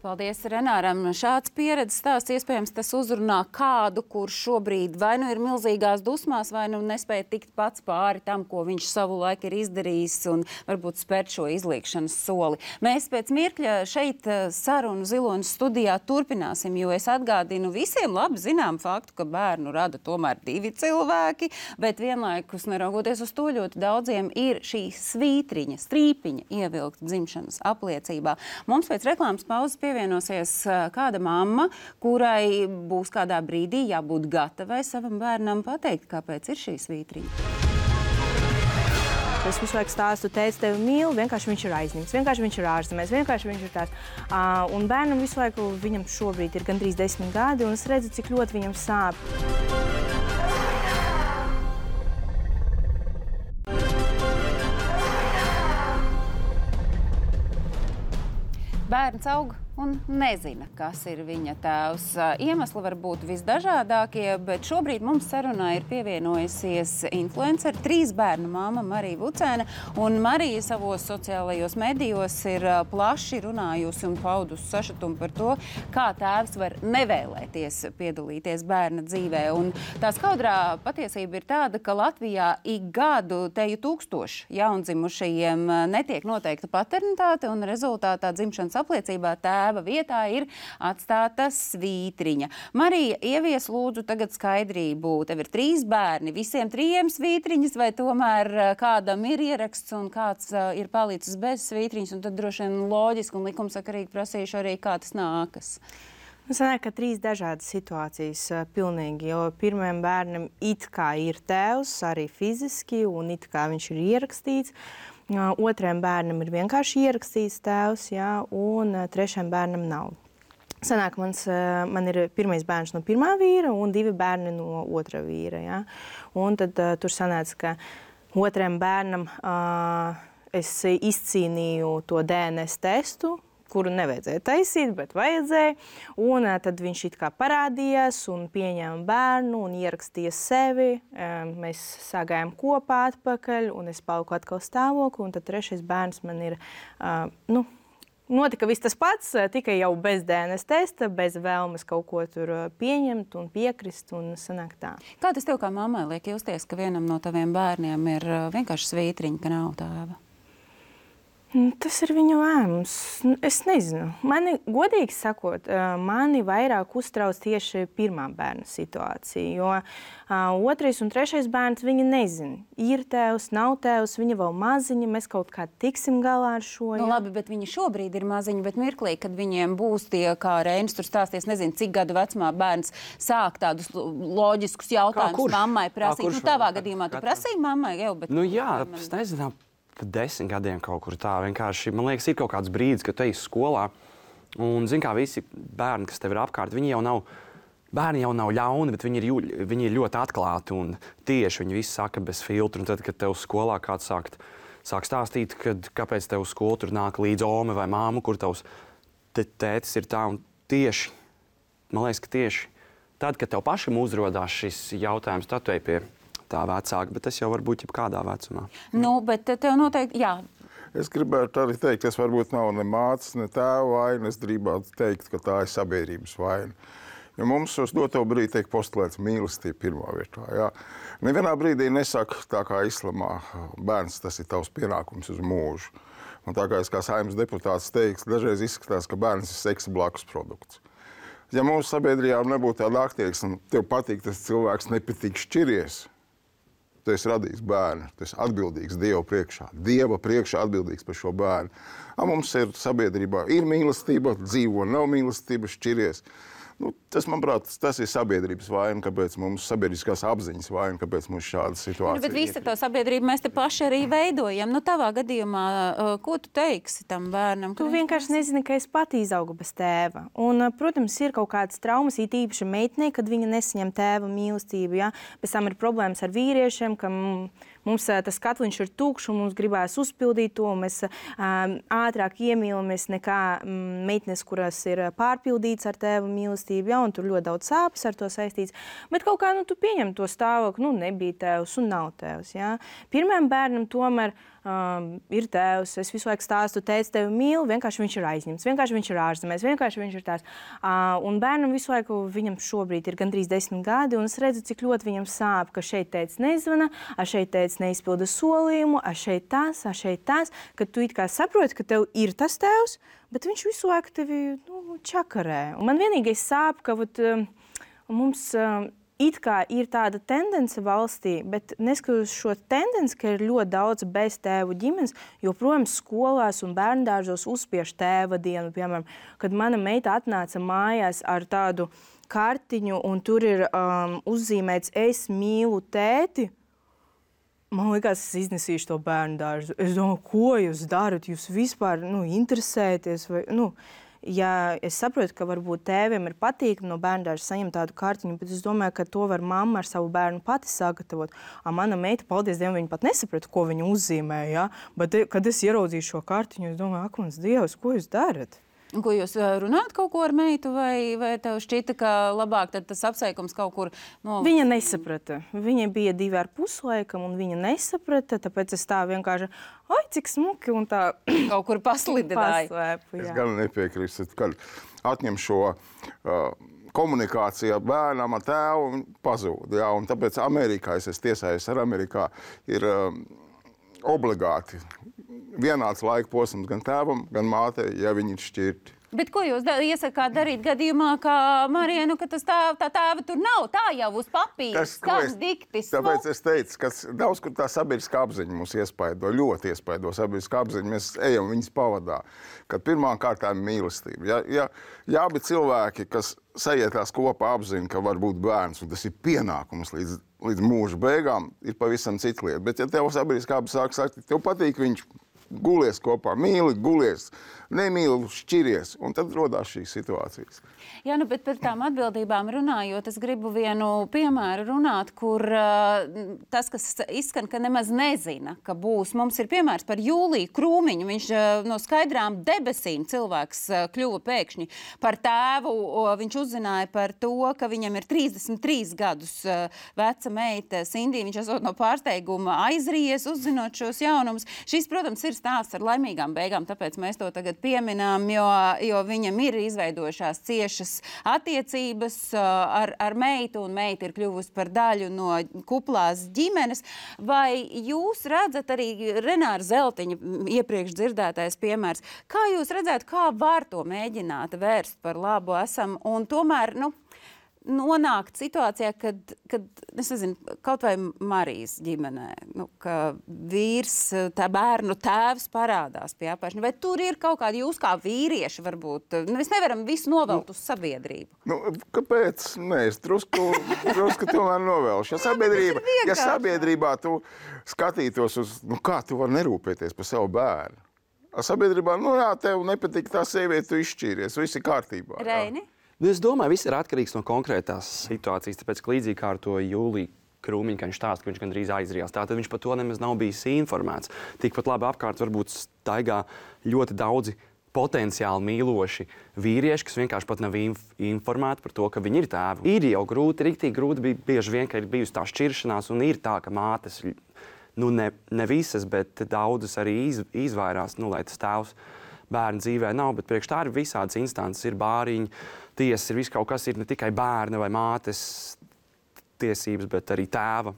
Paldies Renāram. Šāds pieredzes stāsts iespējams tas uzrunā kādu, kurš šobrīd vai nu ir milzīgās dusmās, vai nu nespēja tikt pats pāri tam, ko viņš savu laiku ir izdarījis un varbūt spērt šo izliekšanas soli. Mēs pēc mirkļa šeit sarunu Ziloņas studijā turpināsim, jo es atgādinu visiem labi zinām faktu, ka bērnu rada tomēr 2 cilvēki, bet vienlaikus neraugoties uz to ļoti daudziem ir šī svītriņa, strīpiņa ievilkta dzimšanas apliecībā. Mums pēc reklāmas pauzes pievienosies kāda mamma, kurai būs kādā brīdī jābūt gatavai savam bērnam pateikt, kāpēc ir šī svītriņa. Es visu laiku stāstu, teicu, tevi mīlu, vienkārši viņš ir aizņemts, vienkārši viņš ir ārzemēs, vienkārši viņš ir tās. Un bērnam visu laiku, viņam šobrīd ir gandrīz 10 gadi, un es redzu, cik ļoti viņam sāp. Bērns aug un nezina, kas ir viņa tēvs. Iemesli var būt visdažādākie, bet šobrīd mums sarunā ir pievienojusies influenceri, 3 bērnu māma Marija Vucēne, un Marija savos sociālajos medijos ir plaši runājusi un paudusi sašutumu par to, kā tēvs var nevēlēties piedalīties bērna dzīvē. Un tā skaudrā patiesība ir tāda, ka Latvijā ik gadu teju 1000 jaundzimušajiem netiek noteikta paternitāte, un rezultātā dzimšanas apliecībā tēva vietā ir atstāta svītriņa. Marija, ievies lūdzu tagad skaidrību. Tev ir 3 bērni, visiem 3 svītriņas, vai tomēr kādam ir ieraksts un kāds ir palicis bez svītriņas, un tad droši vien loģiski un likumsakarīgi prasīšu arī, kā tas nākas. Sanāk, ka 3 dažādas situācijas pilnīgi, jo pirmajam bērnam it kā ir tēvs, arī fiziski, un it kā viņš ir ierakstīts. Otrajam bērnam ir vienkārši ierakstīts tēvs, jā, un 3. bērnam nav. Sanāk, man ir pirmais bērns no 1. vīra un 2 bērni no 2. vīra. Jā. Un tad tur sanāca, ka 2. bērnam es izcīnīju to DNS testu, kuru nevajadzēja taisīt, bet vajadzēja. Un tad viņš it kā parādījās un pieņēma bērnu un ierakstīja sevi. Mēs sāgājām kopā atpakaļ un es paliku atkal stāvokli. Un tad 3. bērns man ir, notika viss tas pats, tikai jau bez DNS testa, bez vēlmes kaut ko tur pieņemt un piekrist un sanāk tā. Kā tas tev kā mammai liek justies, ka vienam no taviem bērniem ir vienkārši svītriņa, ka nav tēva? Tas ir viņa lēmums. Es nezinu. Godīgi sakot, mani vairāk uztrauc tieši 1. bērna situācija, jo 2. un 3. bērns viņi nezina. Ir tēvs, nav tēvs, viņi vēl maziņi, mēs kaut kā tiksim galā ar šo. Labi, bet viņi šobrīd ir maziņi, bet mirklī, kad viņiem būs tie, kā Reinis tur stāsties, nezinu, cik gadu vecumā bērns sāk tādus loģiskus jautājumus mammai prasīt. Tavā gadījumā tu prasīji mammai jau, bet... Jā, es nezinu. 10 gadiem kaut kur tā vienkārši, man liekas, ir kaut kāds brīdis, kad tu ej skolā un, zin kā, visi bērni, kas tev ir apkārt, viņi jau nav ļauni, bet viņi ir ļoti atklāti un tieši viņi visi saka bez filtru. Un tad, kad tev skolā kāds sāk stāstīt, kāpēc tev uz skolu tur nāk līdz ome vai māmu, kur tavs tētis ir tā, un tieši, man liekas, ka tieši tad, kad tev pašam uzrodās šis jautājums, tad tu ej pie tā vecāka, bet tas jau var būt jebkādā vecumā. Bet tev noteikti, jā. Es gribētu arī teikt, tas varbūt nav ne mātes, ne tēva vaina. Es gribētu teikt, ka tā ir sabiedrības vaina. Jo mums uz doto brīdi tiek postulēts mīlestība pirmā vietā. Jā. Nevienā brīdī nesaka tā kā islamā, bērns, tas ir tavs pienākums uz mūžu. Un tā kā es kā Saeimas deputāts teiks, dažreiz izskatās, ka bērns ir seksa blakus produkts. Ja mūsu sabiedrībā nebūtu tāda attieksme, tev patīk tas cilvēks, nepatīk šķiries, tu esi radījis bērnu, tu esi atbildīgs Dieva priekšā atbildīgs par šo bērnu. Mums ir sabiedrībā, ir mīlestība, dzīvo, nav mīlestība, šķiries. Tas, manuprāt, tas ir sabiedrības vaina, kāpēc mums sabiedriskās apziņas vaina, kāpēc mums šāda situācija. Bet visu to sabiedrību mēs te paši arī veidojam. Tavā gadījumā, ko tu teiksi tam bērnam? Tu vienkārši nezini, ka es pati izaugu bez tēva. Un, protams, ir kaut kādas traumas, it īpaši meitenei, kad viņa nesaņem tēva mīlestību. Ja? Pēc tam ir problēmas ar vīriešiem, ka mums tas katliņš ir tukšs un mums gribēs uzpildīt to. Mēs ātrāk iemīlamies nekā meitenes, kuras ir pārpildīts ar tēva mīlestību. Ja? Un tur ļoti daudz sāpes ar to saistīts. Bet kaut kā tu pieņem to stāvokli, nebija tēvs un nav tēvs. Ja? Pirmajam bērnam tomēr ir tēvs. Es visu laiku stāstu, tēvs tevi mīl, vienkārši viņš ir aizņemts, vienkārši viņš ir ārzemēs, vienkārši viņš ir tās. Un bērnam visu laiku, viņam šobrīd ir gandrīz 10 gadi, un es redzu, cik ļoti viņam sāp, ka šeit tēvs nezvana, šeit tēvs neizpilda solījumu, šeit tas, ka tu it kā saproti, ka tev ir tas tēvs, bet viņš visu laiku tevi čakarē. Un man vienīgais sāp, ka mums it kā ir tāda tendence valstī, bet neskatoties šo tendenci, ka ir ļoti daudz bez tēvu ģimenes, joprojām skolās un bērndārzos uzspiež tēva dienu. Piemēram, kad mana meita atnāca mājās ar tādu kartiņu un tur ir uzzīmēts es mīlu tēti, man liekas, es iznesīšu to bērndārzu. Es domāju, ko jūs darat? Jūs vispār interesēties vai... Ja es saprotu, ka varbūt tēviem ir patīkami no bērndārza saņemt tādu kartiņu, bet es domāju, ka to var mamma ar savu bērnu pati sagatavot. Mana meita, paldies Dievam, viņa pat nesaprata, ko viņa uzzīmē, ja? Bet, kad es ieraudzīju šo kartiņu, es domāju, ak, mans Dievs, ko jūs darat? Ko jūs runājat kaut ko ar meitu, vai tev šķita, ka labāk tad tas apsveikums kaut kur... Viņa nesaprata. Viņa bija 2,5 laikam, un viņa nesaprata, tāpēc es tā vienkārši, cik smuki, un tā... Kaut kur paslidināja. Es gan nepiekrīstu, kad atņem šo... komunikācija bērnam ar tēvu pazūd. Ja? Un tāpēc Amerikā, es tiesājos ar Amerikā, ir obligāti vienāds laika posms gan tēvam, gan mātei, ja viņi ir šķirti. Bet ko jūs iesakāt darīt gadījumā, kā Marija, ka tā tēva tur nav, tā jau uz papīras, kāds diktis? Tāpēc es teicu, ka daudz, kur tā sabiedriskā apziņa mūs iespaido, ļoti iespaido sabiedriskā apziņa, mēs ejam viņas pavadā, kad pirmām kārtām mīlestība. Ja abi cilvēki, kas sajietās kopā apziņa, ka var būt bērns, un tas ir pienākums līdz mūža beigām, ir pavisam cita lieta. Bet ja tev sabiedriskā apziņa sāk sagt, tev patīk viņš, gulies kopā, mīli, gulies, nemīli, šķiries, un tad rodās šīs situācijas. Jā, bet par tām atbildībām runājot, es gribu vienu piemēru runāt, kur tas, kas izskan, ka nemaz nezina, ka būs. Mums ir piemērs par Jūliju Krūmiņu. Viņš no skaidrām debesīm cilvēks kļuva pēkšņi par tēvu. Viņš uzzināja par to, ka viņam ir 33 gadus veca meita Sindija. Viņš esot no pārsteiguma aizrījies, uzzinot šos jaunumus. Šis, protams, ir stāsts ar laimīgām beigām, tāpēc mēs to tagad pieminām, jo viņam ir izveidojušās ciešas attiecības ar meitu, un meita ir kļuvusi par daļu no kuplās ģimenes. Vai jūs redzat arī Renāra Zeltiņa iepriekš dzirdētais piemērs? Kā jūs redzētu, kā var to mēģināt vērst par labu esam, un tomēr, nonākt situācijā, kad es nezinu, kaut vai Marijas ģimenē, ka vīrs, tā bērnu tēvs parādās pie apēšana, vai tur ir kaut kādi jūs kā vīrieši varbūt, mēs nevaram visu novelt uz sabiedrību? Kāpēc? Nē, es drusku tomēr novelšu. Ja sabiedrībā tu skatītos uz, kā tu vari nerūpēties par savu bērnu? Sabiedrībā, tev nepatīk tā sieviete, tu izšķīries, viss ir kārtībā. Reini? Es domāju, viss ir atkarīgs no konkrētās situācijas, tāpēc, ka līdzīgi kā ar to Jūliju Krūmiņu, ka viņš stāsta, ka viņš gandrīz aizrījās. Tātad viņš par to nemaz nav bijis informēts. Tikpat labi apkārt varbūt staigā ļoti daudzi potenciāli mīloši vīrieši, kas vienkārši pat nav informēti par to, ka viņi ir tēvi. Ir jau grūti, riktīgi grūti bija bieži vien, ka ir bijusi tā šķiršanās, un ir tā, ka mātes, ne visas, bet daudzas arī izvairās, lai tas tēvs bērnu dzīvē nav, bet priekš tā ir visādas instances, ir bāriņi, tiesas, ir viss kaut kas, ir ne tikai bērna vai mātes tiesības, bet arī tēva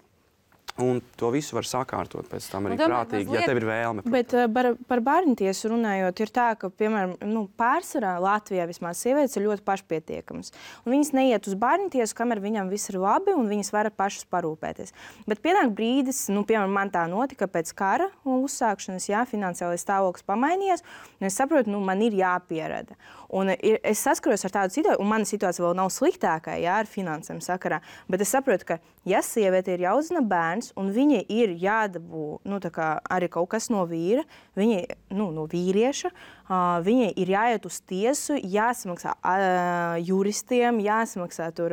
Un to visu var sakārtot pēc tam arī prātīgi, ja tev ir vēlme. Bet par bērntiesu runājot, ir tā, ka, piemēram, pārsvarā Latvijā vismaz sievietes ir ļoti pašpietiekamas. Un viņas neiet uz bērntiesu, kamēr viņam viss ir labi un viņas var pašas parūpēties. Bet pienāk brīdis, piemēram, man tā notika pēc kara uzsākšanas, finansiālais stāvoklis pamainījies, un es saprotu, man ir jāpierada. Un es saskaros ar tādu situāciju, un mana situācija vēl nav sliktākā, ar finansēm sakarā, bet es saprotu, ka, ja sieviete ir jāuzzina bērns, un viņai ir jādabū arī kaut kas no vīra, no vīrieša, viņai ir jāiet uz tiesu, jāsamaksā juristiem, jāsamaksā tur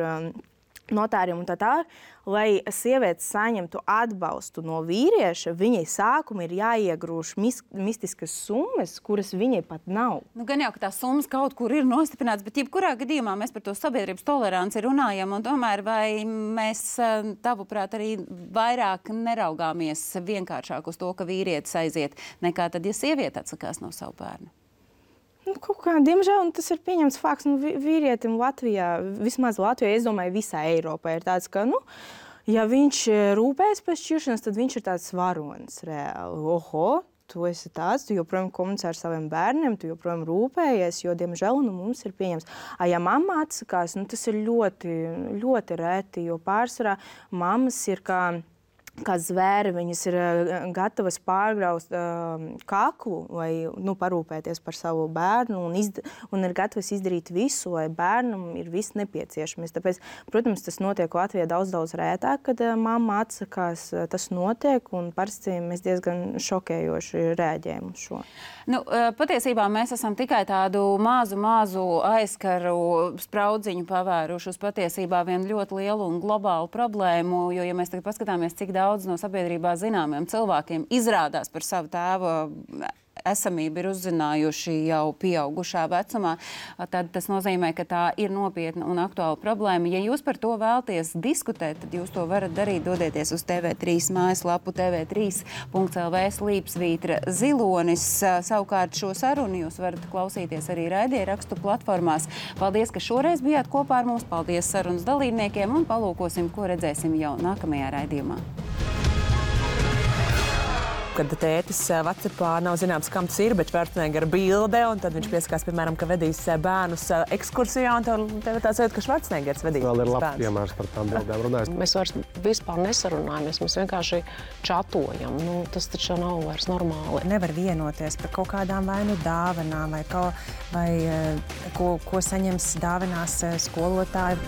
notāriem un tā tālāk, lai sieviete saņemtu atbalstu no vīrieša, viņai sākuma ir jāiegrūž mistiskas summas, kuras viņai pat nav. Gan jau, ka tās summas kaut kur ir nostiprināts, bet jebkurā gadījumā mēs par to sabiedrības toleranci runājam, un tomēr vai mēs, tavuprāt, arī vairāk neraugāmies vienkāršāk uz to, ka vīrietis aiziet, nekā tad, ja sieviete atsakās no savu bērnu? Kaut kā, diemžēl, tas ir pieņemts fakts. Vīrietim Latvijā, vismaz Latvijā, es domāju, visā Eiropā ir tāds, ka, ja viņš rūpējas pēc šķiršanas, tad viņš ir tāds varonis reāli. Oho, tu esi tāds, tu joprojām komunicē ar saviem bērniem, tu joprojām rūpējies, jo, diemžēl, mums ir pieņemts. Ja mamma atsakās, tas ir ļoti, ļoti reti, jo pārsvarā mammas ir kā zvēri, viņas ir gatavas pārgraust kaklu, lai parūpēties par savu bērnu un ir gatavas izdarīt visu, lai bērnam ir viss nepieciešamies. Tāpēc, protams, tas notiek Latvijā daudz rētāk, kad mamma atsakās, tas notiek, un parasti mēs diezgan šokējoši reaģējam uz šo. Patiesībā mēs esam tikai tādu mazu aizkaru spraudziņu pavēruši uz patiesībā vienu ļoti lielu un globālu problēmu, jo, ja mēs tagad paskatāmies, cik daudz no sabiedrībā zināmiem cilvēkiem izrādās par savu tēvu esamību ir uzzinājuši jau pieaugušā vecumā, tad tas nozīmē, ka tā ir nopietna un aktuāla problēma. Ja jūs par to vēlaties diskutēt, tad jūs to varat darīt, dodieties uz TV3 mājaslapu tv3.lv/Zilonis. Savukārt šo sarunu jūs varat klausīties arī raidierakstu platformās. Paldies, ka šoreiz bijāt kopā ar mums. Paldies sarunas dalībniekiem un palūkosim, ko redzēsim jau nākamajā raidījumā. Kad tētis WhatsAppā nav zināms, kam tas ir, bet Schwarzeneggera bilde, un tad viņš pieskās, piemēram, ka vedīs bērnus ekskursijā, un tev tāds sajūta, ka Schwarzeneggers vedīs vēl ir labs bērnus. Piemērs par tām bildēm runājot. Mēs vairs vispār nesarunājamies, mēs vienkārši čatojam. Tas taču nav vairs normāli. Nevar vienoties par kaut kādām vai dāvanām, vai ko saņems dāvinās skolotāji.